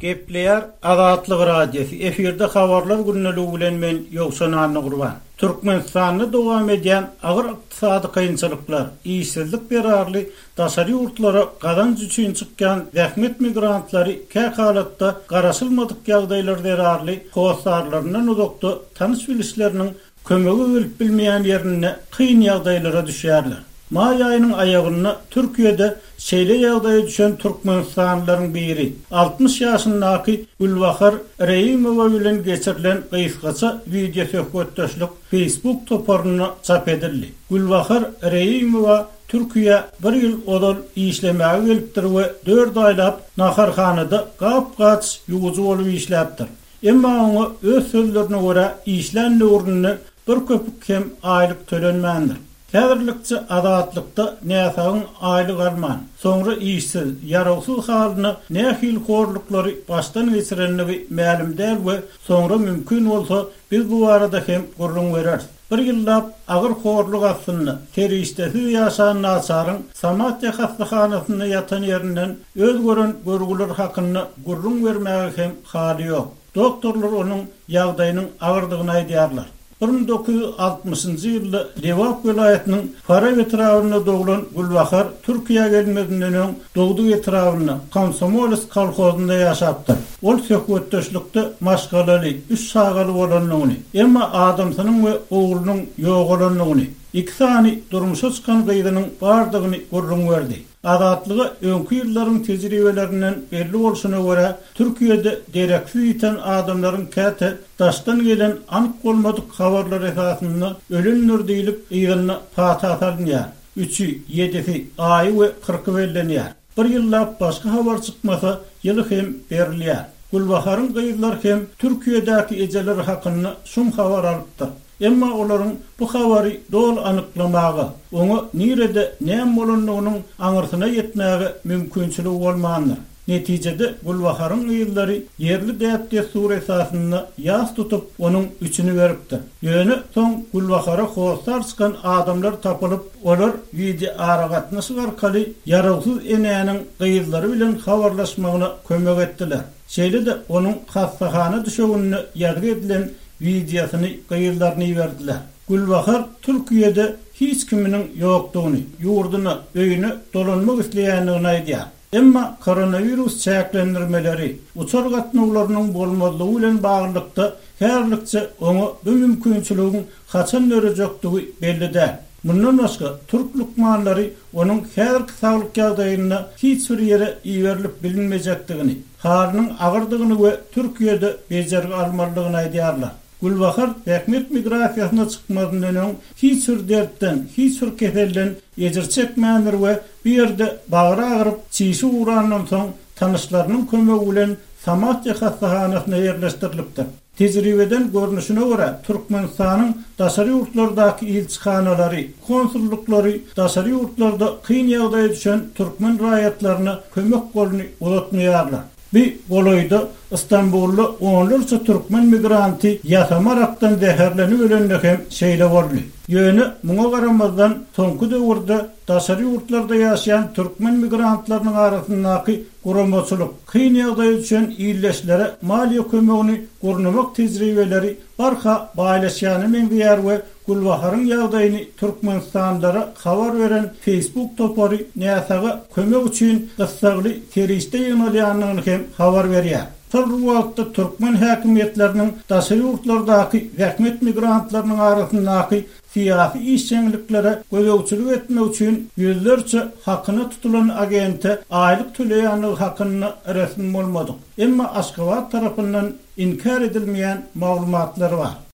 Gepleýär Azatlyk Radiosy, efirde Habarlar gündeligi bilen men Ýowşan Annagurban. Türkmenistanda dowam edýän agyr ykdysady kynçylyklar, işsizlik zerarly daşary ýurtlara gazanç üçin çykýan zähmet migrantlary kähalatda garaşylmadyk ýagdaýlar zerarly hossarlaryndan uzakda tanyş-bilişleriniň kömege gelip bilmeýän ýerinde kyn ýagdaýlara düşýärler. Maý aýynyň aýagynda Türkiýede şeýle ýagdaýa düşen türkmenistanlylaryň biri, 60 ýaşyndaky Gülbahar Reýimowa bilen geçirilen gysgaça wideosöhbetdeşlik Facebook toparynda çap edildi. Gülbahar Reýimowa Türkiýä bir ýyl ozal işlemäge gelipdir we dört aýlap naharhanada gap-gaç ýuwujy bolup işläpdir. Emma oňa öz sözlerine görä işlän döwründe bir köpük hem aýlyk tölenmändir. Häzirlikçe Azatlykda näsagyň aýlyk alman, soňra işsiz, ýarawsyz halyna nähili horluklary başdan geçirendigi mälim däl we soňra mümkin bolsa biz bu barada hem gürrüň bereris. Bir ýyllap agyr horluk astynda, serişdesiz ýaşan naçaryň Samatýa hassahanasynda ýatan ýerinden öz gören görgüleri hakynda gürrüň bermäge hem haly ýok. Doktorlar onuň ýagdaýynyň agyrdygyny aýdýarlar. 1960-njy ýylda Lebap welaýatynyň Farap etrabynda doglan Gülbahar Türkiýä gelmezinden öň dogduk etrabynda, Komsomolsk kolhozynda ýaşapdyr. Ol söhbetdeşlikde maşgalaly, üç çagaly bolandygyny, emma adamsynyň we oglunyň ýogalandygyny, iki sany durmuşa çykan gyzynyň bardygyny gürrüň berdi. Azatlyga öňki ýyllaryň tejribelerinden belli bolşuna görä, Türkiýede dereksiz ýiten adamlaryň käte daşdan gelen anyk bolmadyk habarlar esasynda ölendir diýlip, yzynda pata salynýar. Üçi, ýedisi, aýy we kyrky bellenýär. Bir ýyllap başga habar çykmasa, ýyly hem berilýär. Gülbaharyň gyzlary hem Türkiýedäki ejeleri hakynda şum habar alypdyr. Emma olaryň bu habary doly anyklamaga, oňa nirede näme bolandygynyň aňyrsyna ýetmäge mümkinçiligi bolmandyr. Netijede Gülbaharyň gyzlary ýerli däp-dessur esasynda ýas tutup, onuň üçüni beripdir. Ýöne soň Gülbahara hossar çykan adamlar tapylyp, olar wideoaragatnaşyk arkaly ýarawsyz enäniň gyzlary bilen habarlaşmagyna kömek etdiler. Şeýle-de onuň hassahana düşeginde ýazgy edilen wideosyny gyzlaryna iberdiler. Gülbahar Türkiýede hiç kiminiň ýokdugyny, ýurduna, öýüne dolanmak isleýändigini aýdýar. Emma koronawirus çäklendirmeleri, uçar gatnawlarynyň bolmazlygy bilen baglylykda häzirlikçe oňa bu mümkinçiligiň haçan dörejekdigi belli däl. Mundan başga, türk lukmanlary onuň häzirki saglyk ýagdaýynda hiç bir ýere iberilip bilinmejekdigini, halynyň agyrdygyny we Türkiýede bejergi almalydygyny aýdýarlar. Gülbahar zähmet migrasiýasyna çykmazyndan öň hiç bir dertden, hiç bir keselden ejir çekmändir we bu ýerde bagry agyryp, çişi ugrandan soň tanyşlarynyň kömegi bilen Samatýa hassahanasyna ýerleşdirilipdir. Tejribeden görnüşine görä, Türkmenistanyň daşary ýurtlardaky ilçihanalary, konsullyklary daşary ýurtlarda kyn ýagdaýa düşen türkmen raýatlaryna kömek goluny uzatmaýarlar. Bi golaýda Stambulda onlarça türkmen migranty ýasama arakdan zäherlenip ölende hem şeýle boldy. Ýöne muňa garamazdan, soňky döwürde daşary ýurtlarda ýaşaýan türkmen migrantlarynyň arasyndaky guramaçylyk, kyn ýagdaýa düşen ildeşlere maliýe kömegini gurnamak tejribeleri barha baýlaşýana meňzeýär we Gülbaharyň ýagdaýyny türkmenistanlylara habar beren Facebook topary näsaga kömek üçin gyssagly serişde ýygnalýandygyny hem habar berýär. Şol bir wagtda türkmen häkimiýetleriniň daşary ýurtlardaky zähmet migrantlarynyň arasyndaky syýasy işjeňliklere gözegçilik etmek üçin ýüzlerçe hakyna tutulan agente aýlyk töleýändigi hakynda resmi bolmadyk, emma Aşgabat tarapyndan inkär edilmeýän maglumatlar bar.